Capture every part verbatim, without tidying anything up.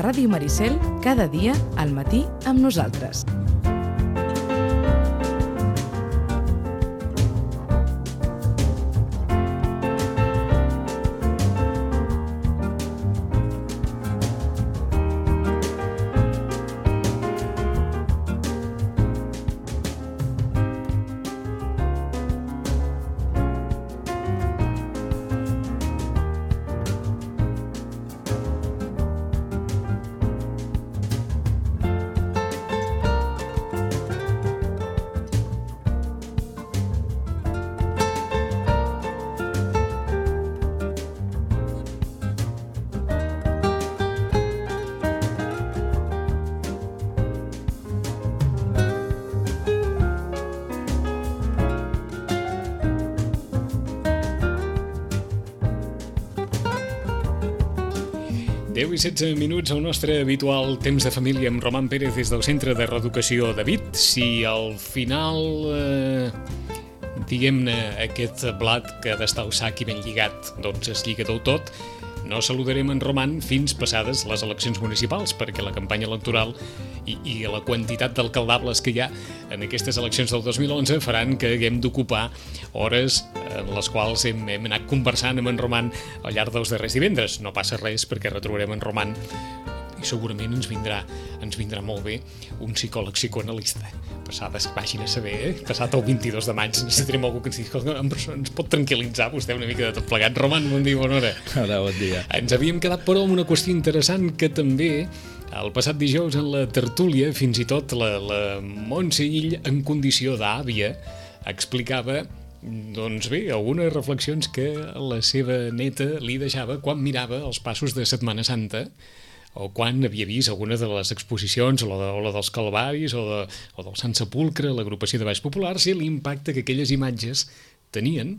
a Ràdio Maricel, cada dia, al matí, amb nosaltres. deu i setze minuts al nostre habitual temps de família amb Roman Pérez des del Centre de Reeducació David. Si al final, eh, diguem-ne, aquest blat que ha d'estar al sac i ben lligat, doncs es lliga del tot, no saludarem en Roman fins passades les eleccions municipals, perquè la campanya electoral i, i la quantitat d'alcaldables que hi ha en aquestes eleccions del dos mil onze faran que haguem d'ocupar hores en les quals hem, hem anat conversant amb en Roman al llarg dels darrers divendres. No passa res, perquè retrobarem en Roman i segurament ens vindrà, ens vindrà molt bé un psicòleg psicoanalista. Passades, vagin a saber, eh? Passat el vint-i-dos de maig necessitarem algú que ens digui, ens pot tranquil·litzar vostè una mica de tot plegat. Roman, bon dia, bona hora. Hola, bon dia. Ens havíem quedat, però, amb una qüestió interessant que també el passat dijous en la tertúlia, fins i tot la, la Montse Ill, en condició d'àvia, explicava, doncs bé, algunes reflexions que la seva neta li deixava quan mirava els passos de Setmana Santa, o quan havia vist alguna de les exposicions, o la, de, o la dels Calvaris, o, de, o del Sant Sepulcre, l'agrupació de balls populars, i l'impacte que aquelles imatges tenien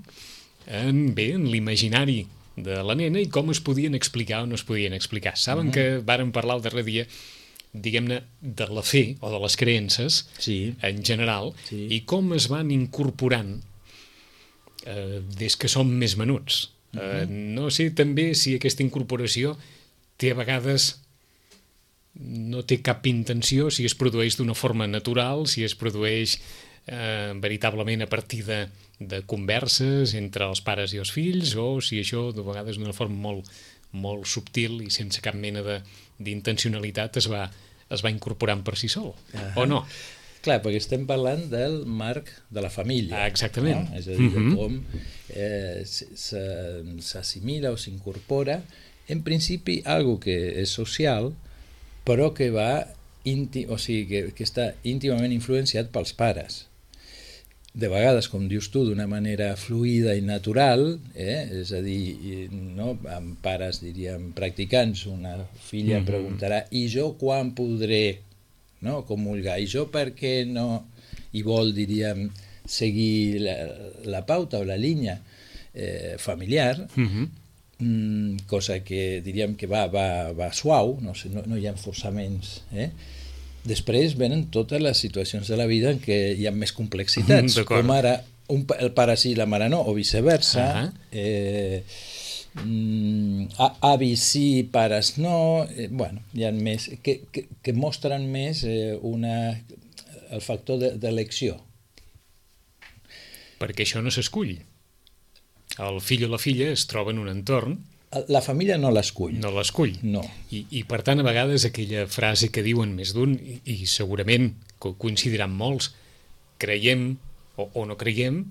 en, bé, en l'imaginari de la nena i com es podien explicar o no es podien explicar. Saben mm-hmm. que vàrem parlar el darrer dia, diguem-ne, de la fe o de les creences, sí. en general, sí. i com es van incorporant eh, des que som més menuts. Mm-hmm. Eh, no sé també si aquesta incorporació té a vegades, no té cap intenció, si es produeix d'una forma natural, si es produeix eh, veritablement a partir de, de converses entre els pares i els fills, o si això de vegades d'una forma molt, molt subtil i sense cap mena d'intencionalitat es va, es va incorporant per si sol, uh-huh. o no? Clar, perquè estem parlant del marc de la família. Ah, exactament. No? És a dir, uh-huh. com eh, s'assimila o s'incorpora en principi algo que és social, però que va íntim, o sigui, que, que està íntimament influenciat pels pares. De vegades, com dius tu, d'una manera fluida i natural, eh? És a dir, no? Amb pares, diríem, practicants, una filla mm-hmm. preguntarà, i jo quan podré, no? Comulgar, i jo per què no? I vol, diríem, seguir la, la pauta o la línia eh, familiar, mm-hmm. cosa que diríem que va, va, va suau, no, sé, no, no hi ha forçaments. Eh? Després venen totes les situacions de la vida en què hi ha més complexitats, com ara un, el pare sí i la mare no, o viceversa, uh-huh. eh, mm, avis sí, pares no, eh, bueno, hi ha més, que, que, que mostren més eh, una, el factor d'elecció. Perquè això no s'escull. El fill o la filla es troba en un entorn. La família no l'escull. No l'escull. No. I, I per tant, a vegades aquella frase que diuen més d'un, i, i segurament coincidiran molts, creiem o, o no creiem,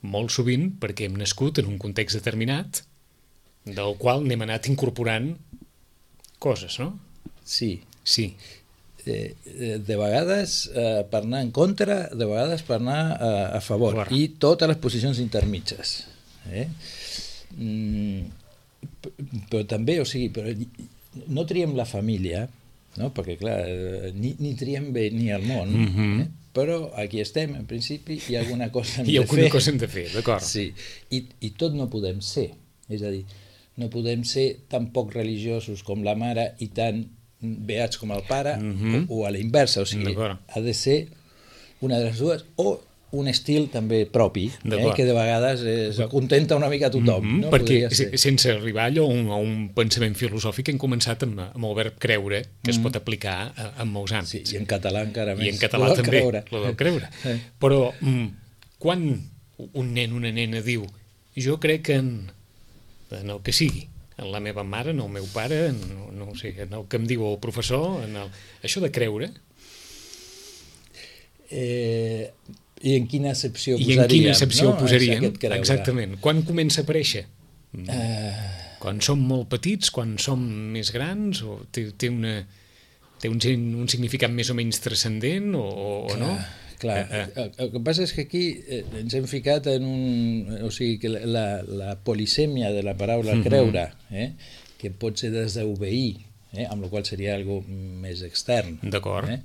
molt sovint perquè hem nascut en un context determinat del qual n'hem anat incorporant coses, no? Sí. Sí. Eh, de vegades eh, per anar en contra, de vegades per anar eh, a favor. Clar. I totes les posicions intermitges. Eh? Mm, però també, o sigui, però no triem la família, no? Perquè clar, ni, ni triem bé ni el món, mm-hmm. eh? Però aquí estem, en principi, hi ha alguna cosa hem hi ha de alguna fer. cosa hem de fer, d'acord. Sí, I, i tot no podem ser, és a dir, no podem ser tan poc religiosos com la mare i tan beats com el pare, mm-hmm. o, o a la inversa, o sigui, ha de ser una de les dues, o un estil també propi, eh, D'acord. que de vegades es contenta una mica a tothom. Mm-hmm, no? perquè Podria ser. sense arribar allò a un, a un pensament filosòfic hem començat amb, amb el verb creure, que es pot aplicar a, a molts àmbits. Sí, i en català encara més. I en català Lo del també, creure. lo del creure. Eh. Però mm, quan un nen, una nena diu jo crec en, en el que sigui, en la meva mare, en el meu pare, en, no, no ho sé, en el que em diu el professor, en el... això de creure... Eh, I en quina accepció I posaríem? en quina accepció no? posaríem? Aquest creure. Exactament. Quan comença a aparèixer? Uh, Quan som molt petits, quan som més grans, o té, té, una, té un, un significat més o menys transcendent, o, o clar, no? Clar, Eh, eh. el, el que passa és que aquí eh, ens hem ficat en un... O sigui, que la, la polisèmia de la paraula Mhm. creure, eh, que pot ser des d'obeir, eh, amb la qual seria algo més extern. D'acord. Eh,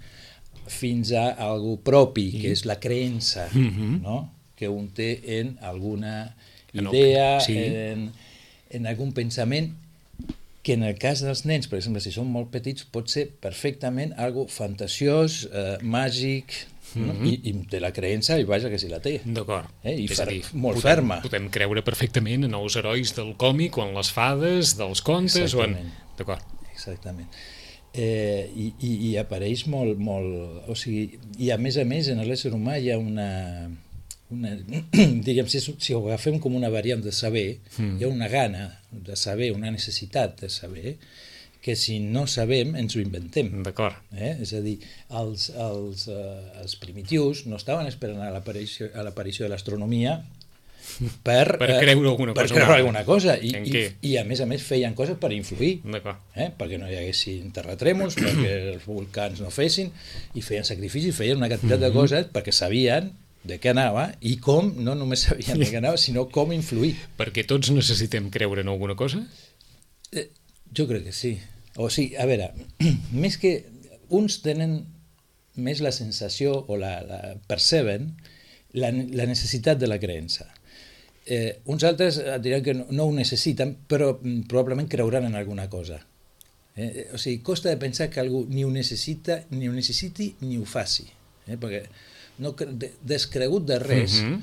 fins a algo propi, que és la creença, Mhm. no? Que un té en alguna En el- idea, sí. en, en algun pensament, que en el cas dels nens, per exemple, si són molt petits, pot ser perfectament algo fantasiós, eh, màgic, no? Mhm. I, i de la creença, i vaja que si la té. D'acord. Eh, i És a fer- dir, molt podem, ferma. Podem creure perfectament en els herois del còmic, o en les fades, dels contes, o en... Exactament. D'acord. Exactament. Eh, i, i, I apareix molt, molt... O sigui, i a més a més, en l'ésser humà hi ha una... una diguem, si, si ho agafem com una variant de saber, Mm. hi ha una gana de saber, una necessitat de saber, que si no sabem ens ho inventem. D'acord. Eh? És a dir, els, els, eh, els primitius no estaven esperant a l'aparició a l'aparició de l'astronomia per, Per eh, creure alguna per cosa creure o una alguna cosa i, En i, què? i a més a més feien coses per influir, D'acord. eh? perquè no hi haguessin terratrèmols, perquè els volcans no fessin, i feien sacrificis, feien una quantitat de coses perquè sabien de què anava i com, no només sabien de què anava, sinó com influir. Perquè tots necessitem creure en alguna cosa? Eh, jo crec que sí. O sigui, a veure, més que uns tenen més la sensació o la, la perceben la, la necessitat de la creença. Eh, uns altres et diran que no, no ho necessiten, però mm, probablement creuran en alguna cosa. Eh? O sigui, costa de pensar que algú ni ho necessita, ni ho necessiti, ni ho faci. Eh? Perquè no, cre- de- descregut de res, Mhm.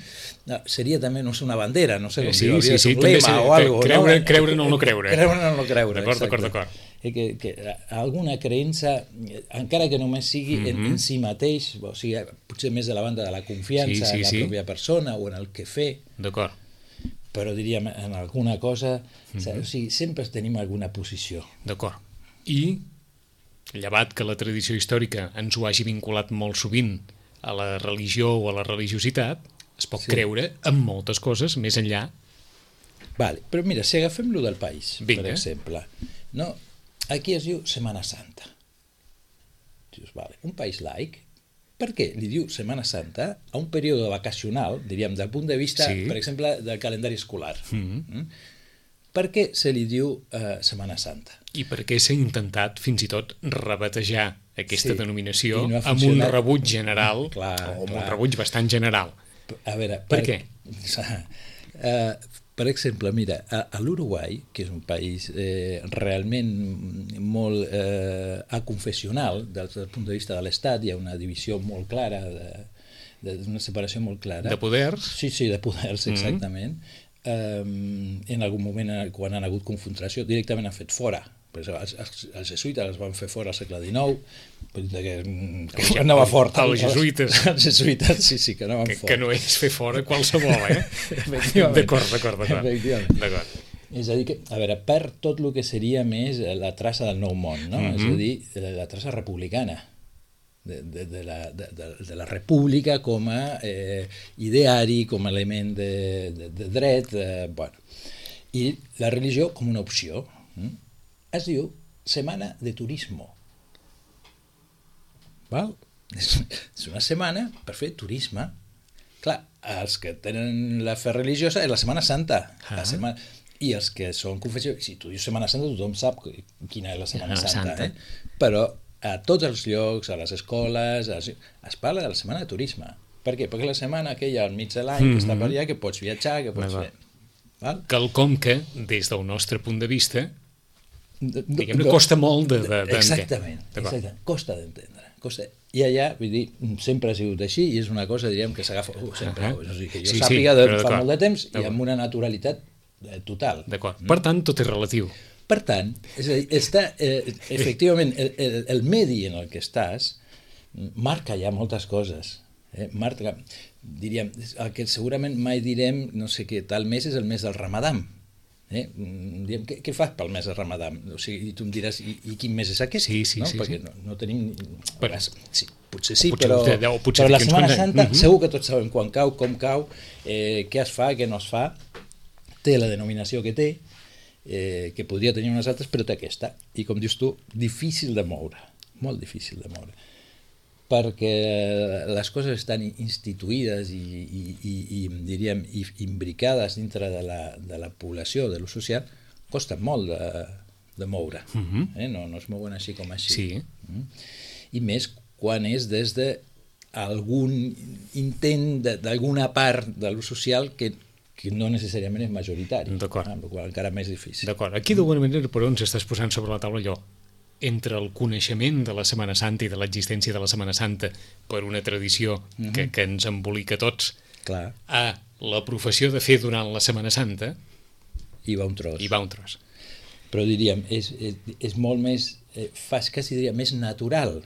no, seria també, no sé, una bandera, no sé com Sí, dir-ho, sí, hauria de sí, ser un també lema seria- o algo, creure- no? creure en el no creure. Creure en el no creure, D'acord, exacte. d'acord, d'acord. Eh, que, que alguna creença, encara que només sigui en, Mhm. en si mateix, o sigui, potser més de la banda de la confiança Sí, sí, en la sí. pròpia persona o en el que fer, D'acord. però diríem en alguna cosa, Mhm. o sigui, sempre tenim alguna posició. D'acord. I, llevat que la tradició històrica ens ho hagi vinculat molt sovint a la religió o a la religiositat, es pot Sí. creure en moltes coses més enllà. Vale, però mira, si agafem lo del país, Vinga. per exemple, no? Aquí es diu Setmana Santa. Dius, vale, un país laic, per què li diu Setmana Santa a un període vacacional, diríem, del punt de vista, Sí. per exemple, del calendari escolar? Mhm. Mm? Per què se li diu eh, Setmana Santa? I perquè s'ha intentat fins i tot rebatejar aquesta Sí, denominació i no ha amb un funcionat. rebuig general, Clar, o amb clar. un rebuig bastant general. A veure, Per què? Uh, per exemple, mira, a, a l'Uruguai, que és un país eh, realment molt eh, aconfessional des del punt de vista de l'Estat, hi ha una divisió molt clara, de, de, una separació molt clara. De poders. Sí, sí, de poders, Mhm. exactament. Um, en algun moment, eh, quan han hagut confrontació, directament han fet fora. Per exemple, els, els, els jesuïtes els van fer fora al segle dinou, vull dir que, mm, que Els- anava fort. els jesuïtes. Els jesuïtes, sí, sí, que anaven Que, fort. que no és fer fora qualsevol, eh? Efectivament. D'acord, d'acord, d'acord. Efectivament. D'acord. És a dir, que, a veure, per tot el que seria més la traça del nou món, no? Mhm. És a dir, la, la traça republicana, de, de, de, la, de, de, de la república com a eh, ideari, com a element de, de, de dret, eh, bueno. I la religió com una opció. Mm? Es diu Setmana de Turismo. Val? És, és una setmana per fer turisme. Clar, els que tenen la fe religiosa és la Setmana Santa. Ah. La setmana... I els que són confessió, si tu dius Setmana Santa, tothom sap quina és la Setmana Setmana Santa. Santa. Eh? Però a tots els llocs, a les escoles, a les... es parla de la setmana de turisme. Per què? Perquè la setmana aquella al mig de l'any que està per allà, que pots viatjar, que pots D'acord. fer... Val? Quelcom que, des del nostre punt de vista, D- d- diguem-ne, d- costa molt de... de, de Exactament, D'acord. exactament. Costa d'entendre. Costa... I allà, vull dir, sempre ha sigut així i és una cosa, diríem, que s'agafa uh, sempre, uh -huh. o sigui, que jo sí, sàpiga sí, de fa molt de temps i amb una naturalitat eh, total. D'acord. Per tant, tot és relatiu. Per tant, és a dir, està, eh, efectivament, el, el, el medi en el que estàs marca ja moltes coses. Eh? Marca, diríem, el que segurament mai direm, no sé què, tal mes és el mes del Ramadà. Eh? Diem, què, què fas pel mes de Ramadà? O sigui, i tu em diràs, i, i quin mes és aquest? Sí, sí, no? sí. Perquè sí. no, no tenim... Però, sí, potser sí, potser, però, o potser però la Setmana Santa uh -huh. segur que tots sabem quan cau, com cau, eh, què es fa, què no es fa, té la denominació que té, eh, que podria tenir unes altres, però té aquesta. I com dius tu, difícil de moure, molt difícil de moure. Perquè les coses estan instituïdes i, i, i, i diríem, imbricades dintre de la, de la població, de l'ús social, costa molt de, de moure. Uh-huh. eh? no, no es mouen així com així. Sí. Uh-huh. I més quan és des d'algun intent d'alguna part de l'ús social que, que no necessàriament és majoritari. D'acord. Amb la qual encara més difícil. D'acord. Aquí d'alguna manera per on s'estàs posant sobre la taula allò? Entre el coneixement de la Setmana Santa i de l'existència de la Setmana Santa per una tradició uh-huh. que, que ens embolica tots, clar, a la professió de fer durant la Setmana Santa, hi va un tros. Hi va un tros. Però diríem, és, és, és molt més, eh, fas quasi diria, més natural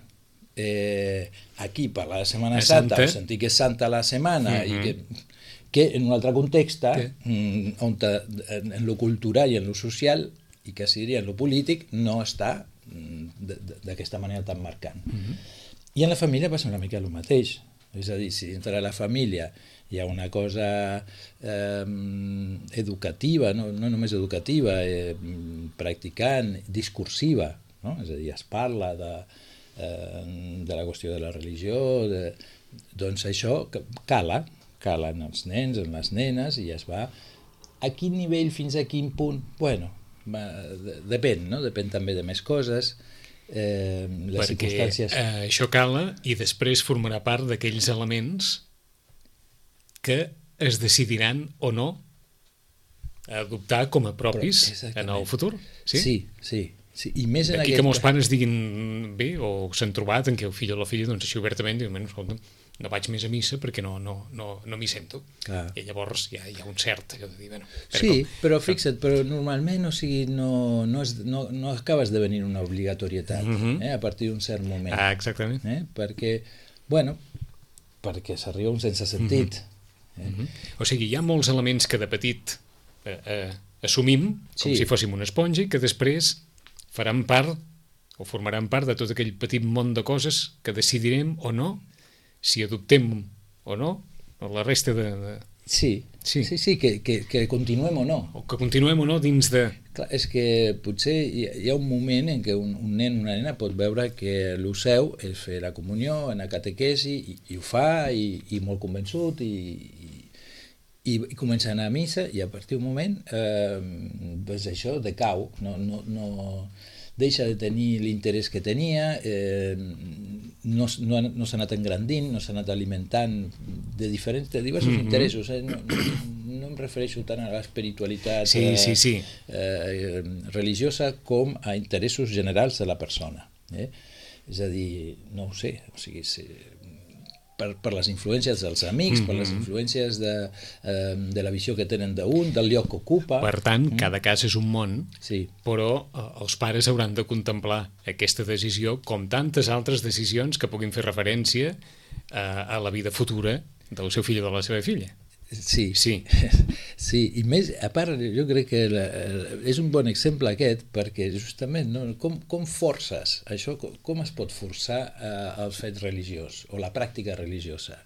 eh, aquí per la Setmana Santa, Santa, o sentir que és santa la setmana, uh-huh. i que, que en un altre context, mm, on te, en, en lo cultural i en lo social, i quasi diria en lo polític, no està d'aquesta manera tan marcant. Uh-huh. I en la família passa una mica el mateix. És a dir, si dintre la família hi ha una cosa eh, educativa, no, no només educativa, eh, practicant, discursiva, no? És a dir, es parla de, eh, de la qüestió de la religió, de, doncs això cala, cala en els nens, en les nenes, i es va a quin nivell, fins a quin punt, bueno, va, depèn, no? Depèn també de més coses, eh, les perquè circumstàncies... eh, això cala i després formarà part d'aquells elements que es decidiran o no adoptar com a propis en el futur. Sí, sí, sí. sí. I més en d'aquí aquest... que molts pares diguin bé, o s'han trobat en què el fill o la filla, doncs així obertament diuen, escolta, no vaig més a missa perquè no, no, no, no m'hi sento. Clar. I llavors hi ha, hi ha un cert allò de dir, bueno... Però sí, com... però fixa't, però normalment, o sigui, no, no, és, no, no acabes de venir una obligatorietat, uh-huh. eh, a partir d'un cert moment. Ah, exactament. Eh, perquè, bueno, perquè s'arriba a un sense sentit. Uh-huh. eh? Uh-huh. O sigui, hi ha molts elements que de petit eh, eh, assumim com sí. si fóssim una esponja i que després faran part o formaran part de tot aquell petit món de coses que decidirem o no si adoptem o no o la resta de... de... Sí, sí, sí, sí que, que, que continuem o no. O que continuem o no dins de... Clar, és que potser hi, hi ha un moment en què un, un nen o una nena pot veure que el seu és fer la comunió, anar a catequesi, i, i ho fa, i, i molt convençut, i, i, i comença a anar a missa, i a partir d'un moment eh, doncs això decau, no... no, no deixa de tenir l'interès que tenia, eh, no, no, no s'ha anat engrandint, no s'ha anat alimentant de diferents, de diversos mm-hmm. interessos. Eh? No, no em refereixo tant a l'espiritualitat sí, sí, sí. eh, religiosa com a interessos generals de la persona. Eh? És a dir, no ho sé, o sigui, sí, per, per les influències dels amics, mm-hmm. per les influències de, eh, de la visió que tenen d'un, del lloc que ocupa. Per tant, mm. cada cas és un món, sí. però eh, els pares hauran de contemplar aquesta decisió com tantes altres decisions que puguin fer referència eh, a la vida futura del seu fill o de la seva filla. Sí, sí. sí, i més, a part, jo crec que la, és un bon exemple aquest, perquè justament, no, com, com forces això, com, com es pot forçar eh, el fet religiós o la pràctica religiosa?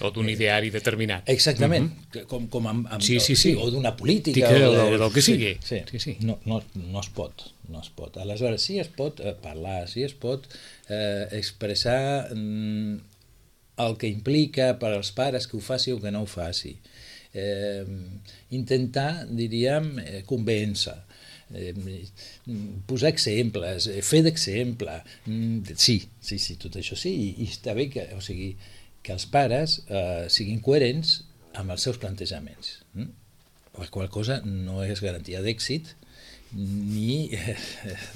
O d'un ideari determinat. Exactament, uh-huh. com, com amb, amb, sí, sí, sí. o d'una política. Que, o de, del, del que sigui. Sí, sí. sí, sí. No, no, no es pot, no es pot. Aleshores, sí es pot eh, parlar, sí es pot eh, expressar mm, el que implica per als pares que ho faci o que no ho faci. Eh, intentar, diríem, eh, convèncer, eh, posar exemples, eh, fer d'exemple. Mm, sí, sí, sí, tot això sí, i, i està bé que, o sigui, que els pares eh, siguin coherents amb els seus plantejaments. Mm? La qual cosa no és garantia d'èxit ni, eh,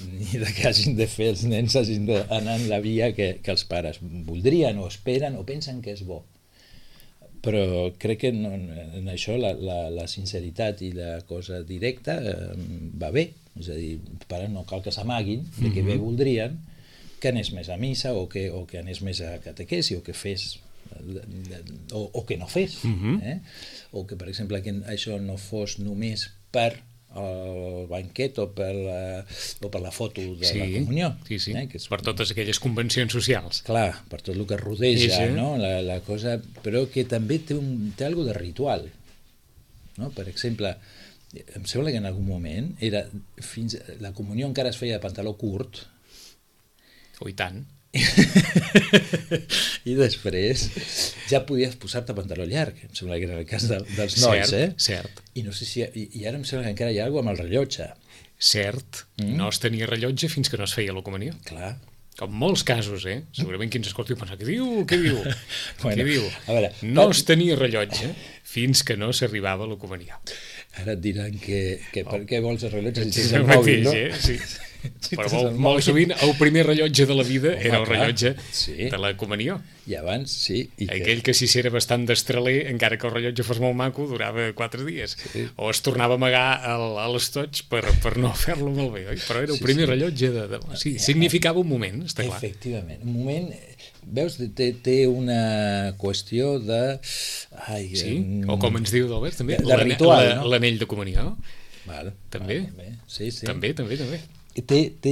ni de que hagin de fer els nens hagin d'anar en la via que, que els pares voldrien o esperen o pensen que és bo. Però crec que no, en això la, la, la sinceritat i la cosa directa eh, va bé. És a dir, els pares no cal que s'amaguin de que bé voldrien que anés més a missa o que, o que anés més a catequesi o que fes o, o que no fes. Uh-huh. eh? O que, per exemple, que això no fos només per el banquet o per la, o per la foto de sí, la comunió. Sí, sí, eh? que és, per totes aquelles convencions socials. Clar, per tot el que rodeja, sí, sí. No? La, la cosa, però que també té, un, té algo de ritual. No? Per exemple, em sembla que en algun moment era fins, la comunió encara es feia de pantaló curt. Oh, i tant. I després ja podies posar-te pantaló llarg, em sembla que era el cas de, dels nois, cert, eh? Cert. I no sé si i, i ara em sembla que encara hi ha alguna cosa amb el rellotge. Cert, mm. no es tenia rellotge fins que no es feia la comunió. Clar. En molts casos, eh? Segurament qui ens escolti pensa, què diu? Què diu? Bueno, què diu? A veure, no per... es tenia rellotge fins que no s'arribava a la comunió. Ara et diran que, que oh. per què vols el rellotge si tens el el mòbil, no? Eh? Sí. Sí, però molt, molt sovint el primer rellotge de la vida Home, era el rellotge sí. de la comunió. I abans, sí. I Aquell que, que si era bastant destraler, encara que el rellotge fos molt maco, durava quatre dies. Sí. O es tornava a amagar al, a l'estoig per, per no fer-lo molt bé, oi? Però era el sí, primer sí. rellotge de, de... Sí, significava un moment, està clar. Efectivament, un moment... Veus, té, té una qüestió de... Ai, sí? O com ens diu l'Albert, també? De, de ritual, no? L'anell de comunió. Val, també? Val, també. Sí, sí. També, també, també. Té, té,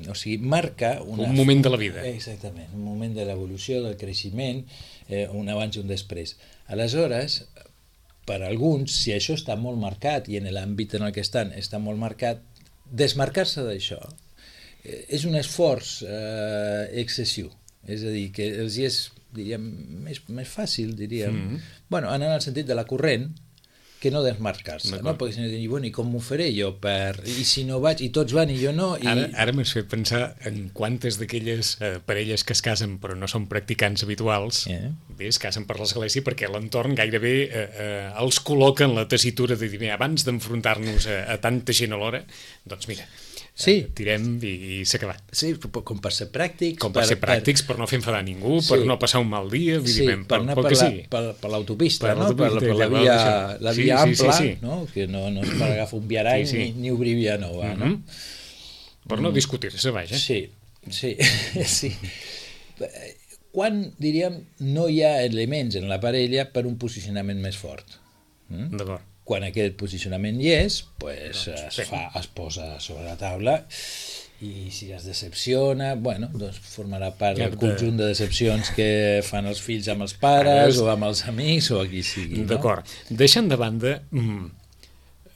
o sigui, marca una, un moment de la vida. Exactament, un moment de l'evolució, del creixement, eh, un abans i un després. Aleshores, per alguns, si això està molt marcat i en l'àmbit en el que estan està molt marcat, desmarcar-se d'això eh, és un esforç eh, excessiu. És a dir, que els hi és, diríem, més, més fàcil, diríem, mm-hmm. bueno, anar en el sentit de la corrent, que no desmarcar-se, no? Perquè si no, i, bueno, i com m'ho faré jo? Per... I si no vaig, i tots van i jo no... I... Ara, ara m'has fet pensar en quantes d'aquelles eh, parelles que es casen però no són practicants habituals, yeah. bé, es casen per l'església perquè l'entorn gairebé eh, eh, els col·loca en la tessitura de dir, bé, abans d'enfrontar-nos a, a tanta gent alhora, doncs mira, sí. eh, tirem i, i s'ha acabat. Sí, com per ser pràctics. Com per, per ser pràctics, per, per no fer enfadar ningú, sí. per no passar un mal dia, vull sí, dir, ben, per anar per, la, per, per l'autopista, per, no? per, per la via, la via sí, ampla, sí, sí, sí. No? Que no, no és per agafar un viarany sí, sí. ni, ni obrir via nova. Mm-hmm. No? Per no discutir-se, vaja. Sí, sí, sí. Quan, diríem, no hi ha elements en la parella per un posicionament més fort. Mm? D'acord. Quan aquest posicionament hi és, pues, doncs, es, fa, es posa sobre la taula i si es decepciona, bueno, doncs formarà part del conjunt de decepcions que fan els fills amb els pares o amb els amics o a qui sigui. No? D'acord. Deixant de banda mm,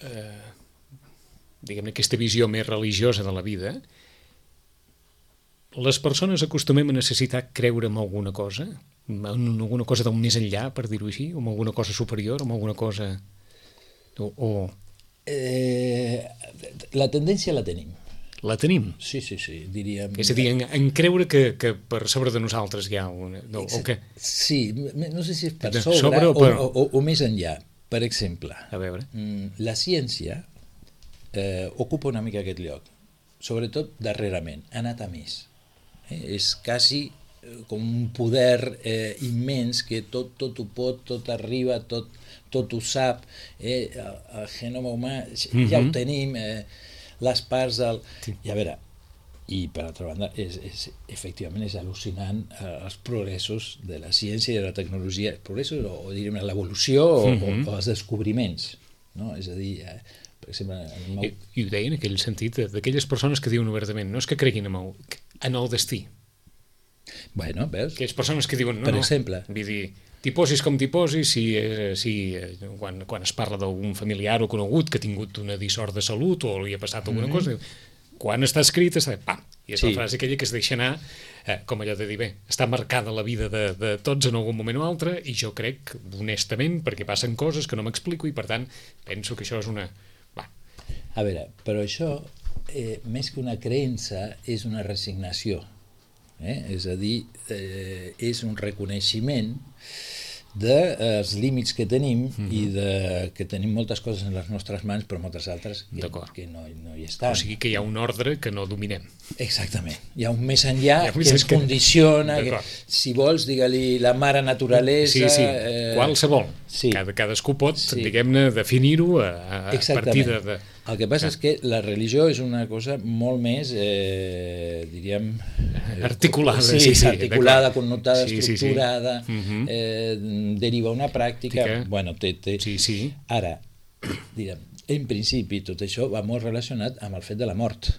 eh, diguem-ne aquesta visió més religiosa de la vida, les persones acostumem a necessitar creure en alguna cosa, en alguna cosa del més enllà, per dir-ho així, o en alguna cosa superior, o en alguna cosa... O, o... Eh, la tendència la tenim. La tenim? Sí, sí, sí, diríem... És a dir, en, en creure que, que per sobre de nosaltres hi ha una... No, o que... Sí, no sé si és per sobre, sobre o, per... o, o, o més enllà. Per exemple, a veure. La ciència eh, ocupa una mica aquest lloc, sobretot darrerament, ha anat a més. Eh? És quasi com un poder eh, immens que tot, tot ho pot, tot arriba, tot, tot ho sap, eh? el, el genoma humà mm-hmm. ja ho tenim, eh? les parts del... Sí. I a veure, i per altra banda, és, és, efectivament és al·lucinant eh, els progressos de la ciència i de la tecnologia, progressos o, o diríem l'evolució o, mm-hmm. o, o els descobriments, no? És a dir, eh, per exemple... En el meu... I, I ho deia en aquell sentit, d'aquelles persones que diuen obertament, no és que creguin en el, en el destí. Bueno, veus? Aquelles persones que diuen, no, per no, exemple, vull dir, t'hi posis com t'hi posis, si, si, quan, quan es parla d'un familiar o conegut que ha tingut una dissort de salut o li ha passat alguna mm-hmm. cosa, quan està escrit, està, pam, i és sí. la frase aquella que es deixa anar, eh, com allò de dir, bé, està marcada la vida de, de tots en algun moment o altre, i jo crec, honestament, perquè passen coses que no m'explico, i per tant, penso que això és una... Va. A veure, però això, eh, més que una creença, és una resignació. Eh? És a dir, eh, és un reconeixement dels límits que tenim mm-hmm. i de, que tenim moltes coses en les nostres mans però moltes altres que, que no, no hi estan. O sigui que hi ha un ordre que no dominem. Exactament. Hi ha un més enllà ha un que ens que... condiciona, que, si vols, digue-li la mare naturalesa... Sí, sí, eh... qualsevol. Sí. Cada, cadascú pot, sí. diguem-ne, definir-ho a, a partir de... de... El que passa ah. és que la religió és una cosa molt més, eh, diríem... Articulada. Sí, sí, sí articulada, connotada, sí, estructurada, sí, sí. Eh, deriva una pràctica... Que... Bueno, té, té... Sí, sí. Ara, direm, en principi tot això va molt relacionat amb el fet de la mort.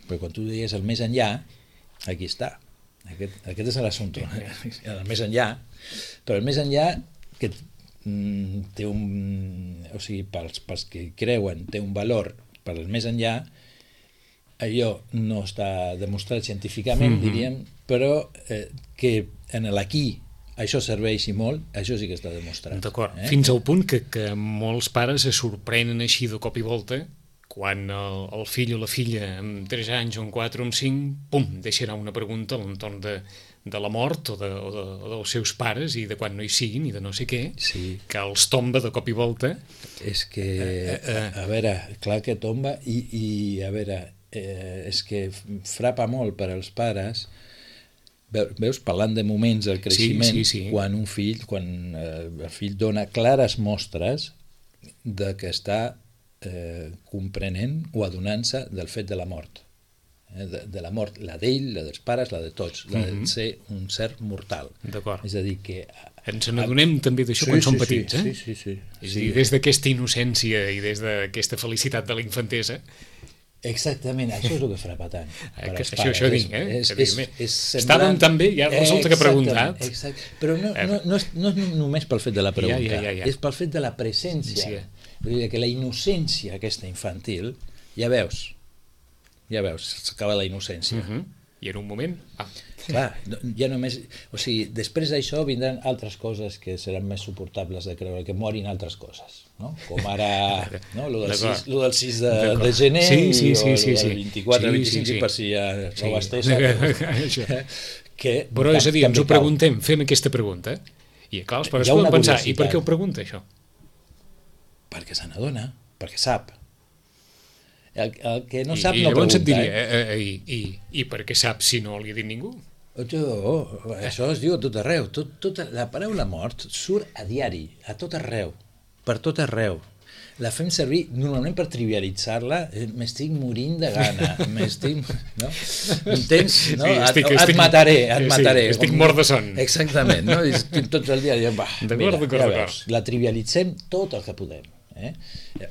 Perquè quan tu deies el més enllà, aquí està. Aquest, aquest és l'assumpte. El més enllà. Però el més enllà que té un, o sigui, pels, pels que creuen té un valor per al més enllà, allò no està demostrat científicament, mm-hmm. diríem, però eh, que en l'aquí això serveix i molt, això sí que està demostrat. D'acord, eh? Fins al punt que, que molts pares se sorprenen així de cop i volta quan el, el fill o la filla amb tres anys o amb quatre o amb cinc, pum, deixarà una pregunta a l'entorn de de la mort o, de, o, de, o dels seus pares i de quan no hi siguin i de no sé què, sí. que els tomba de cop i volta. És que, eh, eh, a, a veure, clar que tomba i, i a veure, eh, és que frapa molt per als pares, veus, parlant de moments del creixement, sí, sí, sí. quan un fill, quan eh, el fill dona clares mostres de que està eh, comprenent o adonant-se del fet de la mort. De, de la mort, la d'ell, la dels pares, la de tots, la de mm-hmm. ser un ser mortal. D'acord. És a dir, que... Ens n'adonem també d'això sí, quan sí, som petits, sí, eh? Sí, sí, sí. És sí. a dir, des d'aquesta innocència i des d'aquesta felicitat de la infantesa... Exactament, això és el que frapa tant. Eh, que, això, això dic, eh? És, és, és, és semblant... Estàvem tan bé, ja resulta que he preguntat. Exacte. Però no, no, no, és, no és només pel fet de la pregunta, ja, ja, ja, ja. és pel fet de la presència. Sí. Vull dir que la innocència aquesta infantil, ja veus, ja veus, s'acaba la innocència. Uh-huh. I en un moment... Ah. Clar, ja només... O sigui, després d'això vindran altres coses que seran més suportables de creure, que morin altres coses, no? Com ara, no? Lo del sis, lo del sis de, de gener sí, sí, sí, o sí, el sí. vint-i-quatre, sí, vint-i-cinc, sí, sí. per si ja sí. no ho estesa. Que, però és a dir, ens ho preguntem, fem aquesta pregunta, i clar, els pares poden pensar, i per què ho pregunta això? Perquè se n'adona, perquè sap. El, el que no I, sap i no pregunta. Et diria, eh? Eh, i, i, I per què sap si no li ha dit ningú? Oh, això es diu a tot arreu. Tot, tot, la paraula mort surt a diari, a tot arreu, per tot arreu. La fem servir normalment per trivialitzar-la. M'estic morint de gana, m'estic... No? Entens? No? Sí, estic, et, estic, et mataré, et sí, mataré. Estic com... mort de son. Exactament, no? I estic tot el dia dient, va, mira, ja veus, la trivialitzem tot el que podem. Eh?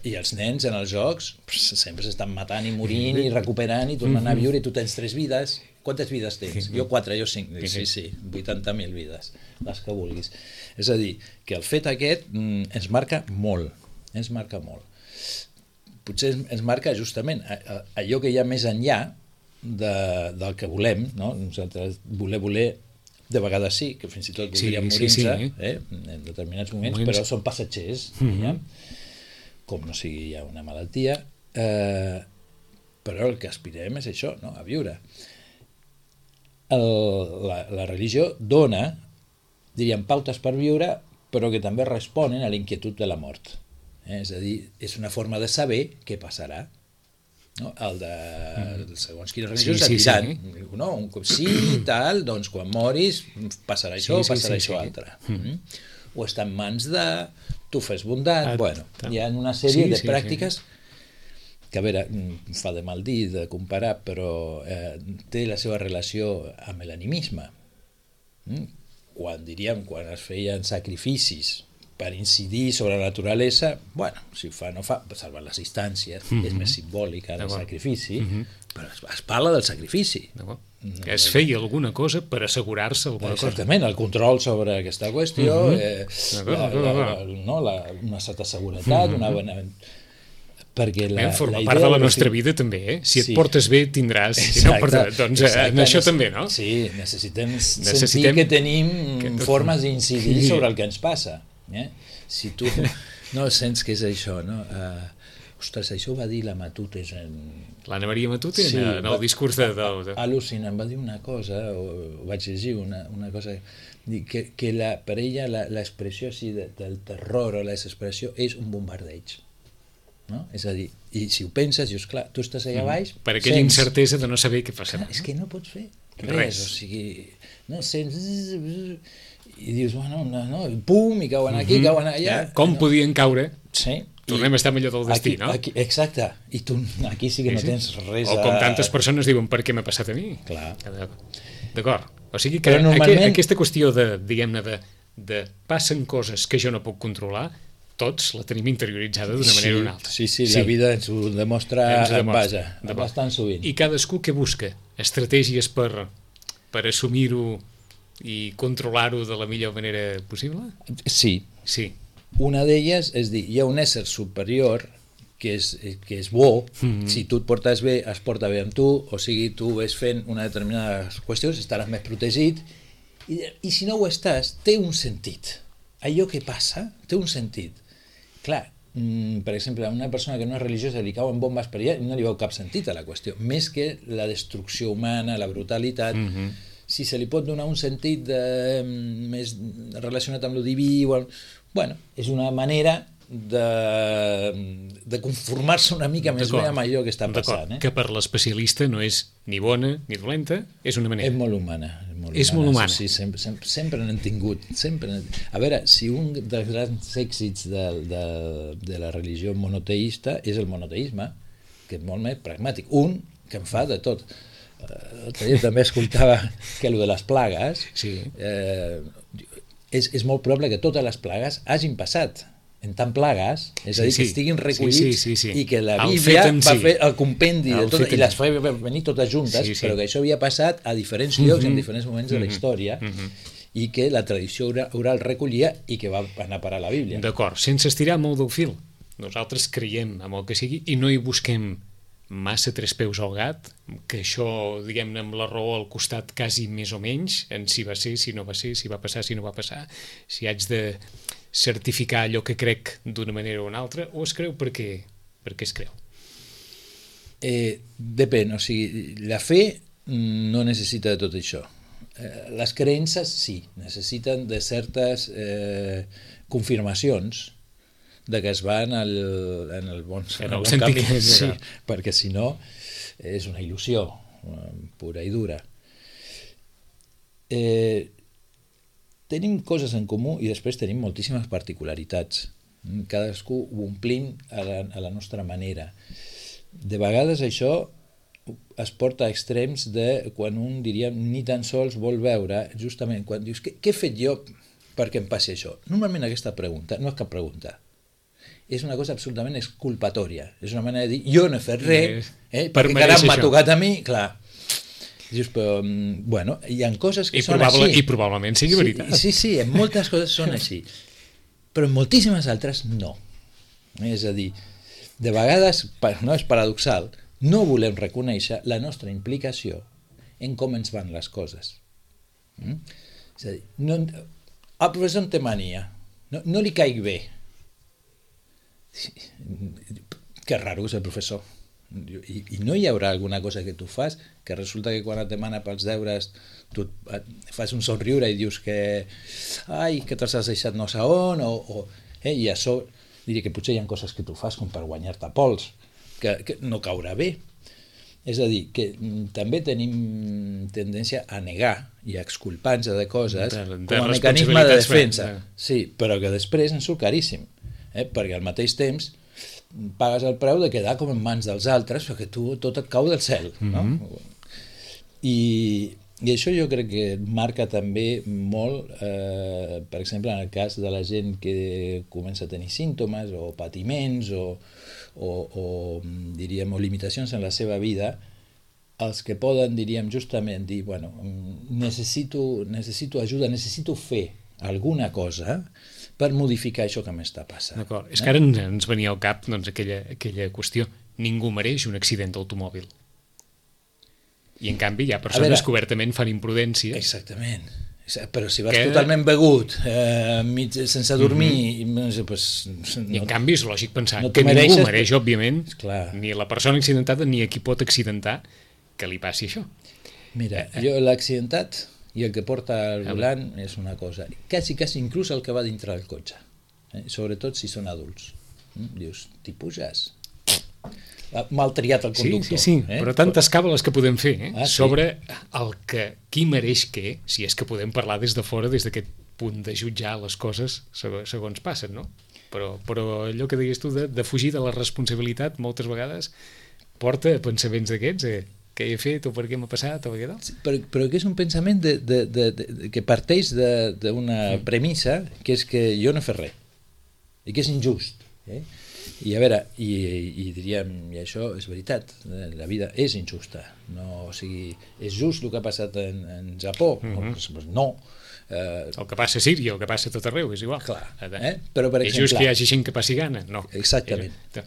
I els nens en els jocs sempre s'estan matant i morint i recuperant i tornant a viure, i tu tens tres vides. Quantes vides tens? Jo quatre, jo cinc. Sí, sí, vuitanta mil vides, les que vulguis. És a dir, que el fet aquest mm, ens marca molt, ens marca molt. Potser ens marca justament allò que hi ha més enllà de, del que volem, no? Nosaltres voler, voler, de vegades sí, que fins i tot voldríem sí, morir-se, sí, sí. eh? en determinats moments, moments, però són passatgers, mm-hmm. ja? Com no sigui ja una malaltia, eh, però el que aspirem és això, no? A viure. El, la, la religió dona, diríem, pautes per viure, però que també responen a l'inquietud de la mort. Eh? És a dir, és una forma de saber què passarà. No? El de mm. segons quines religions sí, sí, et diran, sí. No? Un cop sí i tal, doncs quan moris passarà això o sí, sí, passarà sí, això sí. altre. Mm. O està en mans de... tu fes bondat, ah, bueno, hi ha una sèrie sí, de sí, pràctiques sí. que, a veure, fa de mal dir de comparar, però eh, té la seva relació amb l'animisme. Mm? Quan, diríem, quan es feien sacrificis per incidir sobre la naturalesa, bueno, si ho fa, no fa, salvar les distàncies, mm-hmm. és més simbòlica el sacrifici, mm-hmm. però es, es parla del sacrifici. No, es feia alguna cosa per assegurar-se alguna Exactament, cosa. El control sobre aquesta qüestió, mm-hmm. eh, la, la, la, no, la, una certa seguretat, mm-hmm. una bona... Perquè la, forma la part de la nostra vida també, eh? Si et sí. portes bé tindràs, si no portes, doncs exacte. En això també, no? Sí, necessitem, necessitem sentir que tenim que... formes d'incidir sobre el que ens passa. Eh? Si tu no sents que és això, no? Uh, ostres, això ho va dir la Matutes en... L'Anna Maria Matute Sí, en el va- discurs de... de, de... Al·lucinant, va dir una cosa, o, o vaig llegir una, una cosa, dir que, que la, per ella la- l'expressió així de, del terror o la desesperació és un bombardeig. No? És a dir, i si ho penses, dius, clar, tu estàs allà baix... Per aquella sents- incertesa de no saber què passarà. Clar, és que no pots fer res, Res. o sigui, no sents... I dius, bueno, no, no, pum, i cauen aquí, Mhm. cauen allà... Ja, com no. podien caure? Sí. Tornem a estar millor del destí, aquí, no? Aquí, exacte, i tu aquí sí que no Sí, sí. tens res O com tantes persones diuen, per què m'ha passat a mi? Clar. D'acord. O sigui que Però normalment- aqu aquesta qüestió de, diguem-ne, de, de passen coses que jo no puc controlar, tots la tenim interioritzada d'una manera o una altra. Sí, sí, sí, la vida ens ho demostra, Ens ho demostra. vaja, Demostra. bastant sovint. I cadascú que busca estratègies per, per assumir-ho i controlar-ho de la millor manera possible? Sí, Sí. una d'elles és dir, hi ha un ésser superior que és, que és bo, Mhm. si tu et portes bé, es porta bé amb tu, o sigui, tu ves fent una determinada qüestió, estaràs més protegit, i, i si no ho estàs, té un sentit. Allò que passa té un sentit. Clar, mm, per exemple, a una persona que no és religiosa li cauen bombes per allà i no li veu cap sentit a la qüestió, més que la destrucció humana, la brutalitat. Mhm. Si se li pot donar un sentit de, més relacionat amb lo diví, o, bueno, és una manera de, de conformar-se una mica més bé amb allò que està passant. Eh? Que per l'especialista no és ni bona ni dolenta, és una manera. És molt humana. És molt És molt humana. Sí, sempre, sempre, sempre n'hem tingut. Sempre n'hem- A veure, si un dels grans èxits de, de, de la religió monoteïsta és el monoteisme, que és molt més pragmàtic. Un que en fa de tot. Eh, L'altre dia també escoltava que el de les plagues, Sí. eh, és, és molt probable que totes les plagues hagin passat en tant plagues, és a dir, Sí, que sí. estiguin Sí, recollits sí, sí, sí. i que la El Bíblia fet en va si. fer el compendi de El tot, fet i en les si. fa venir totes juntes, Sí, sí. però que això havia passat a diferents llocs, Mhm. en diferents moments de la Mhm. història, Mhm. i que la tradició ora- oral recollia i que va anar a parar a la Bíblia. D'acord, sense estirar molt del fil. Nosaltres creiem en el que sigui i no hi busquem massa tres peus al gat, que això, diguem-ne, amb la raó al costat quasi més o menys, en si va ser, si no va ser, si va passar, si no va passar, si haig de certificar allò que crec d'una manera o una altra, o es creu perquè, perquè es creu. Eh, depèn, o sigui, la fe mm, no necessita de tot això. Eh, les creences sí, necessiten de certes eh, confirmacions de que es va en el, en el bon, En en el el bon sentit camí, que és, sí, ja. perquè si no és una il·lusió eh, pura i dura. Eh, tenim coses en comú i després tenim moltíssimes particularitats. Cadascú ho omplim a la, a la nostra manera. De vegades això es porta a extrems de quan un, diríem, ni tan sols vol veure, justament quan dius, què, què he fet jo perquè em passi això? Normalment aquesta pregunta no és cap pregunta. És una cosa absolutament exculpatòria. És una manera de dir, jo no he fet res, eh, Per perquè caram mereixer m'ha això. tocat a mi, clar. Dius, però, mm, bueno, hi ha coses que I, són probable, així. I probablement sigui veritat. Sí, sí, sí, en moltes coses són així. Però en moltíssimes altres no. És a dir, de vegades, pa- no és paradoxal, no volem reconèixer la nostra implicació en com ens van les coses. Mm? És a dir, no, el professor em té mania, no, no li caic bé. Sí, que raro és el professor. I, I no hi haurà alguna cosa que tu fas que resulta que quan et demana pels deures tu et, et fas un somriure i dius que ai, que te'ls has deixat no sé on o, o, eh, i això diria que potser hi ha coses que tu fas com per guanyar-te pols que, que no caurà bé. És a dir, que mm, també tenim tendència a negar i a exculpar-nos de coses De- de com a mecanisme de responsabilitats, defensa. eh. Sí, però que després ens surt caríssim, eh? Perquè al mateix temps pagues el preu de quedar com en mans dels altres perquè tu tot et cau del cel, no? Mhm. I, i això jo crec que marca també molt, eh, per exemple, en el cas de la gent que comença a tenir símptomes o patiments o, o, o diríem, o limitacions en la seva vida, els que poden, diríem, justament dir, bueno, necessito, necessito ajuda, necessito fer alguna cosa per modificar això que m'està passant. D'acord. És que ara ens, ens venia al cap doncs, aquella, aquella qüestió. Ningú mereix un accident d'automòbil. I en canvi hi ha persones veure, que obertament fan imprudències. Exactament, Però si vas que... totalment begut, eh, mig, sense dormir, mm-hmm. pues, no, i en canvi és lògic pensar no que mereixes, ningú mereix, òbviament, clar. Ni la persona accidentada ni a qui pot accidentar que li passi això. Mira, jo l'accidentat i el que porta al volant és una cosa, quasi, quasi inclús el que va dintre del cotxe, eh? Sobretot si són adults. Mm? Dius, t'hi puges? Mal triat el conductor. Sí, sí, sí. Eh? Però tantes càbales que podem fer eh? ah, sí. sobre el que, qui mereix què, si és que podem parlar des de fora, des d'aquest punt de jutjar les coses segons, segons passen, no? Però, però allò que deies tu de, de fugir de la responsabilitat moltes vegades porta a pensaments d'aquests, eh? Què he fet o per què m'ha passat o per què tal? Sí, però, però que és un pensament de, de, de, de, que parteix d'una mm. premissa que és que jo no he fet res i que és injust, eh? I a veure, i, i diríem, i això és veritat, la vida és injusta, no, o sigui, és just el que ha passat en, en Japó, mm-hmm. no. Eh, el que passa a Síria, el que passa a tot arreu, és igual. Clar, eh? Però per exemple... És just que hi hagi gent que passi gana? No. Exactament. Eh,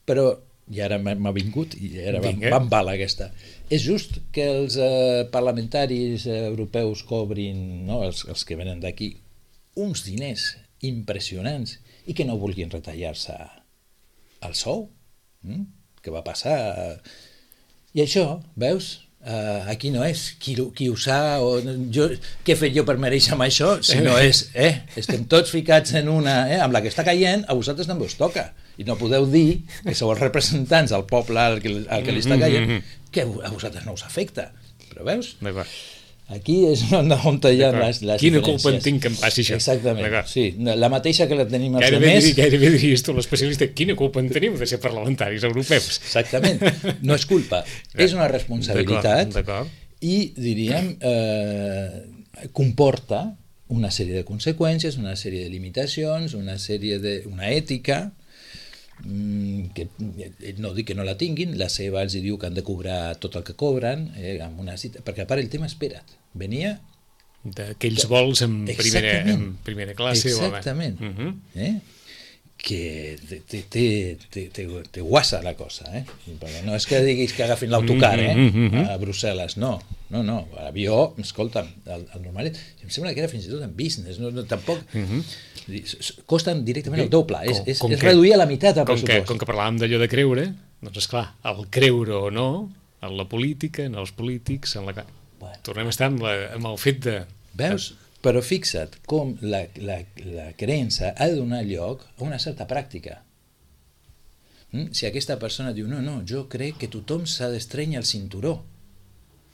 però, i ara m'ha vingut, i ara va, va en bala aquesta, és just que els eh, parlamentaris europeus cobrin, no, els, els que venen d'aquí, uns diners impressionants i que no vulguin retallar-se el sou, mm? Que va passar, i això, veus, uh, aquí no és qui, qui ho sa, o jo, què he fet jo per mereixer amb això, si no és, eh, estem tots ficats en una, eh, amb la que està caient, a vosaltres també us toca, i no podeu dir que sou els representants del poble al que, al que li està caient, que a vosaltres no us afecta, però veus? Aquí és on, on hi ha les, les Quina diferències. culpa en tinc que em passi això? Exactament, sí, la mateixa que la tenim els gairebé altres. Dir, gairebé diries tu, l'especialista, quina culpa en tenim de ser parlamentaris europeus? Exactament, no és culpa, és una responsabilitat i, diríem, eh, comporta una sèrie de conseqüències, una sèrie de limitacions, una sèrie de... una ètica, que no dic que no la tinguin, la seva els diu que han de cobrar tot el que cobren, eh, amb una cita, perquè a part el tema, espera't, venia d'aquells vols en primera, en primera classe. Exactament. O uh-huh. eh? Que te, te, te, te, te, te guassa la cosa, eh? Perquè no és que diguis que agafin l'autocar eh? uh-huh. a Brussel·les, no, no, no, l'avió, escolta'm, el, el normalet, em sembla que era fins i tot en business, no, no, tampoc, uh-huh. costen directament el doble, com, és, és, és reduir a la meitat el com pressupost. Que, com que parlàvem d'allò de creure, doncs esclar, el creure o no, en la política, en els polítics, en la... Bueno. Tornem a estar amb, la, amb el fet de... Veus? Però fixa't com la, la, la creença ha de donar lloc a una certa pràctica. Mm? Si aquesta persona diu, no, no, jo crec que tothom s'ha d'estrènyer el cinturó.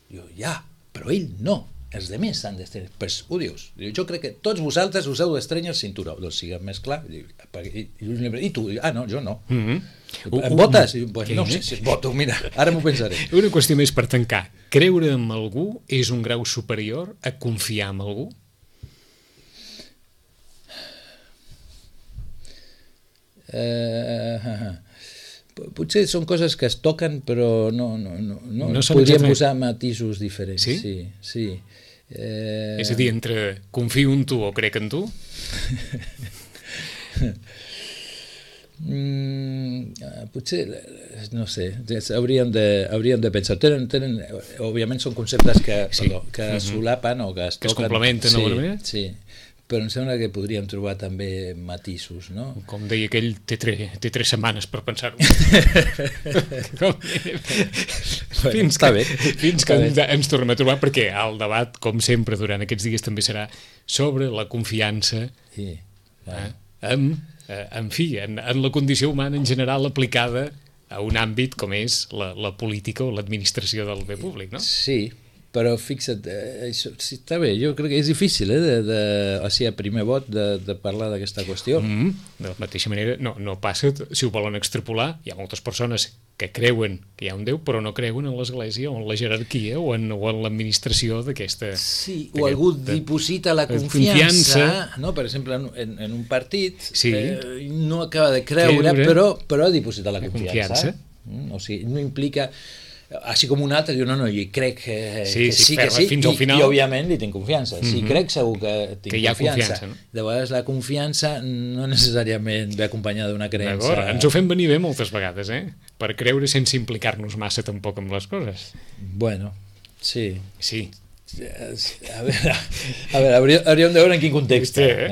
Diu, ja, però ell no. Els altres s'han d'estrènyer. Pues ho dius. Diu, jo crec que tots vosaltres us heu d'estrènyer el cinturó. Doncs siguem més clar. Diu, i, i tu? Ah, no, jo no. Mm-hmm. Em votes? Pues no sé si et voto, mira, ara m'ho pensaré. Una qüestió més per tancar. Creure en algú és un grau superior a confiar en algú? Uh, potser són coses que es toquen però no, no, no, no, no podríem posar matisos diferents. Sí? Sí, sí. Eh... És a dir, entre confio en tu o crec en tu? mm, potser no sé, hauríem de, hauríem de pensar tenen, tenen, òbviament són conceptes que, sí. perdó, que mm-hmm. solapen o que es que toquen, es complementen sí, d'alguna manera? Sí, però em sembla que podríem trobar també matisos, no? Com deia aquell, té, tre, té tres setmanes per pensar-ho. fins que, bé, fins que ens, ens tornem a trobar, perquè el debat, com sempre, durant aquests dies també serà sobre la confiança sí, eh, en, eh, en fi, en, en la condició humana en general aplicada a un àmbit com és la, la política o l'administració del bé públic, no? Sí, però fixa't, eh, això, sí, està bé, jo crec que és difícil, eh, de, de, o sigui, a primer vot de, de parlar d'aquesta qüestió. Mm-hmm. De la mateixa manera, no, no passa, si ho volen extrapolar, hi ha moltes persones que creuen que hi ha un Déu, però no creuen en l'Església o en la jerarquia o en, o en l'administració d'aquesta... Sí, o algú diposita la confiança, confiança, no? Per exemple, en, en un partit, sí. eh, no acaba de creure, creure. però, però diposita la confiança. confiança. Mm, o sigui, no implica... així com un altre diu, no, no, jo crec que sí, que sí, sí, que sí fins i, al final... i òbviament li tinc confiança, sí, mm-hmm. crec segur que tinc que hi ha confiança, confiança no? De vegades la confiança no necessàriament ve acompanyada d'una creença. D'acord, ens ho fem venir bé moltes vegades, eh? Per creure sense implicar-nos massa tampoc amb les coses. Bueno, sí. Sí. A veure, a veure hauríem, hauríem de veure en quin context. Eh?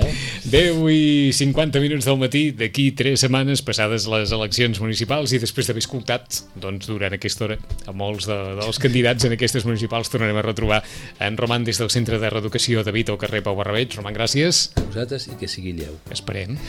deu i cinquanta minuts del matí, d'aquí tres setmanes, passades les eleccions municipals, i després d'haver escoltat, doncs, durant aquesta hora, a molts de, dels candidats en aquestes municipals, tornarem a retrobar en Roman des del Centre de Reeducació de Vic al carrer Pau Barrabeig. Roman, gràcies. A vosaltres i que sigui lleu. Esperem.